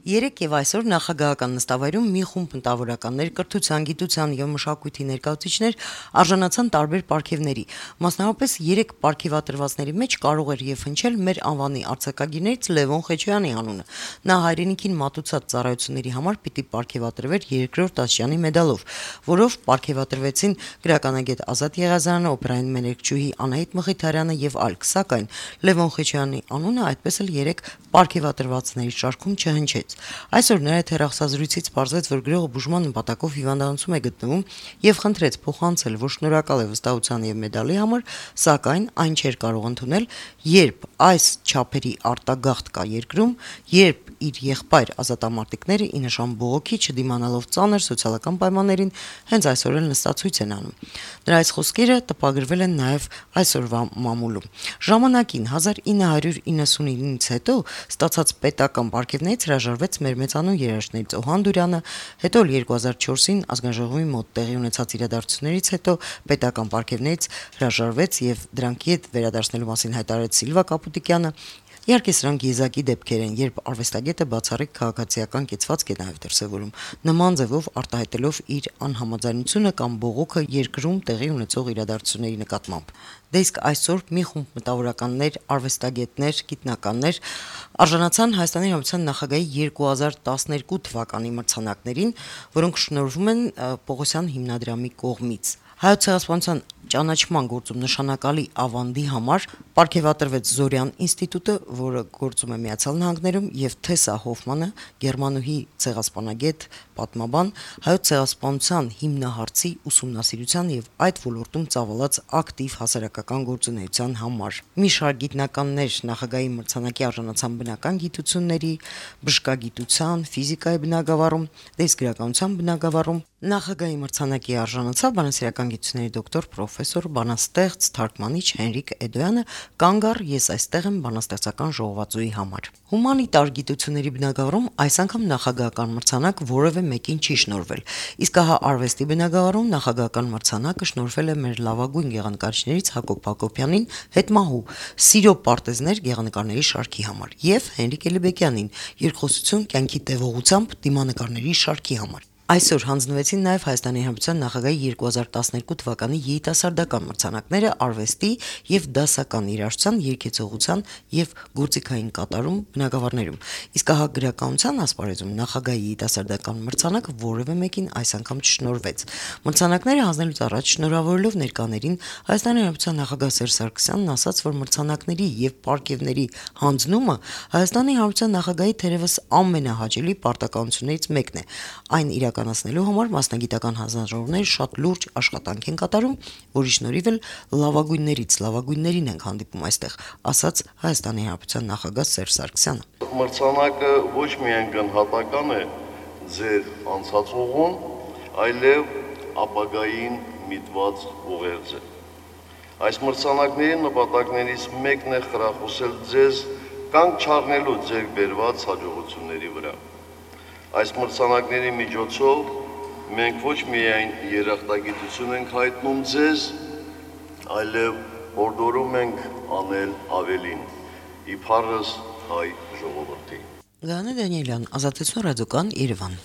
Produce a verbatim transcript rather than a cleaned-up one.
Երեկ եւ այսօր նախագահական նստավայրում մի խումբ մտավորականներ, կրթության, գիտության եւ մշակույթի ներկայացուցիչներ արժանացան տարբեր պարգևների։ Մասնավորապես երեք պարգևատրվածների մեջ կարող էր եւ հնչել մեր անվանի արձակագիրներից Լևոն Խեչոյանի անունը։ Նա հայրենիքին մատուցած ծառայությունների համար պիտի պարգևատրվեր երկրորդ աստիճանի մեդալով, որով պարգևատրվեցին գրականագետ Ազատ Եղիազարյանը, օպերային մենեջերուհի Անահիտ Մխիթարյանը եւ այլք, սակայն Լևոն Խեչոյանի անունը այդպես էլ երեք պարգևատրվածների շարքում չհնչեց։ Այսօր նրա հետ հեռախոսազրույցից պարզվեց, որ գրողը բուժման նպատակով հիվանդանոցում է գտնվում եւ խնդրեց փոխանցել, որ շնորհակալ է վստահության եւ մեդալի համար, սակայն այն չէր կարող ընդունել, երբ այս չափերի արտագաղթ կա երկրում, երբ իր եղբայր ազատամարտիկները ի նշան բողոքի չդիմանալով ծանր սոցիալական պայմաններին հենց այսօր էլ նստացույց են անում։ Նրա այս խոսքերը տպագրվել են նաեւ այսօրվա մամուլում։ Ժամանակին հազար ինը հարյուր իննսունինից հետո ստացած պետական պարգևներից հրաժարվեց մեր մեծանուն երաժիշտներից Օհան Դուրյանը, հետո երկու հազար չորսին ազգաժողովի մոտ տեղի ունեցած իրադարձություններից հետո պետական պարգևներից հրաժարվեց եւ դրանք իդ վերադարձնելու մասին հայտարարեց Սիլվա Կապուտիկյանը։ Իհարկե սրանք եզակի դեպքեր են, երբ արվեստագետը բացառիկ քաղաքացիական կեցվածք է նաև դրսևորում, նման ձևով արտահայտելով իր անհամաձայնությունը կամ բողոքը երկրում տեղի ունեցող իրադարձությունների նկատմամբ։ Դե իսկ այսօր մի խումբ մտավորականներ, արվեստագետներ, գիտնականներ արժանացան Հայաստանի Հանրապետության նախագահի երկու հազար տասներկու թվականի մրցանակներին, որոնք շնորհվում են Պողոսյան հիմնադրամի կողմից։ Հայոց ցեղասպանության ճանաչման գործում նշանակալի ավանդի համար պարգևատրվեց Զորյան ինստիտուտը, որը գործում է Միացյալ Նահանգներում, եւ Թեսա Հոֆմանը, գերմանուհի ցեղասպանագետ, պատմաբան, հայոց ցեղասպանության հիմնահարցի ուսումնասիրության եւ այդ ոլորտում ծավալած ակտիվ հասարակական գործունեության համար։ Մի շարք գիտնականներ նախագահի մրցանակի արժանացան բնական գիտությունների, բժշկագիտության, ֆիզիկայի բնագավառում, դես գրականության բնագավառում։ Նախագահի մրցանակի արժանացավ բանասիրական գիտությունների դոկտոր պրոֆեսոր բանաստեղծ թարգմանիչ Հենրիկ Էդոյանը, կանգ առ ես այստեղ եմ բանաստեղծական ժողովածուի համար։ Հումանիտար գիտությունների բնագավառում այս անգամ նախագահական մրցանակ որևէ մեկին չի շնորհվել, իսկ ահա արվեստի բնագավառում նախագահական մրցանակը շնորհվել է մեր լավագույն գեղանկարիչներից Հակոբ Հակոբյանին, հետմահու Սիրո պարտեզներ գեղանկարների շարքի համար եւ Հենրիկ Էլիբեկյանին երկխոսություն կյանքի տևողությամբ դիմանկարների շարքի համար։ Այսօր հանձնվեցին նաև Հայաստանի Հանրապետության նախագահի երկու հազար տասներկու թվականի երիտասարդական մրցանակները արվեստի եւ դասական երաժշտության, երգեցողության եւ գործիքային կատարում բնագավառներում։ Իսկ ահա գրականության ասպարեզում նախագահի երիտասարդական մրցանակը որևէ մեկին այս անգամ չշնորհվեց։ Մրցանակները հանձնելուց առաջ շնորհավորելով ներկաներին Հայաստանի Հանրապետության նախագահ Սերժ Սարգսյանն ասաց, որ մրցանակների եւ պարգևների հանձնումը Հայաստանի Հանրապետության նախագահի թերևս ամենահաճելի պարտականություններից մեկն է։ Այն իրականացնելու համար մասնագիտական հանձնաժողովները շատ լուրջ աշխատանք են կատարում, որի շնորհիվ էլ լավագույններից լավագույններին ենք հանդիպում այստեղ, ասաց Հայաստանի Հանրապետության նախագահ Սերժ Սարգսյանը։ Մրցանակը ոչ միայն գնահատական է ձեր անցած ուղուն, այլև ապագային միտված ուղերձ է։ Այս մրցանակների նպատակներից մեկն է խրախուսել ձեզ կանգ չառնելու ձեր բերված հաջողությունների վրա։ Այս մրցանակների միջոցով մենք ոչ միայն երախտագիտություն ենք հայտնում ձեզ, այլև հորդորում ենք անել ավելին, իբարս հայ ժողովրդի։ Գաներ Դանիելյան, Ազատություն ռադիոկան, Երևան։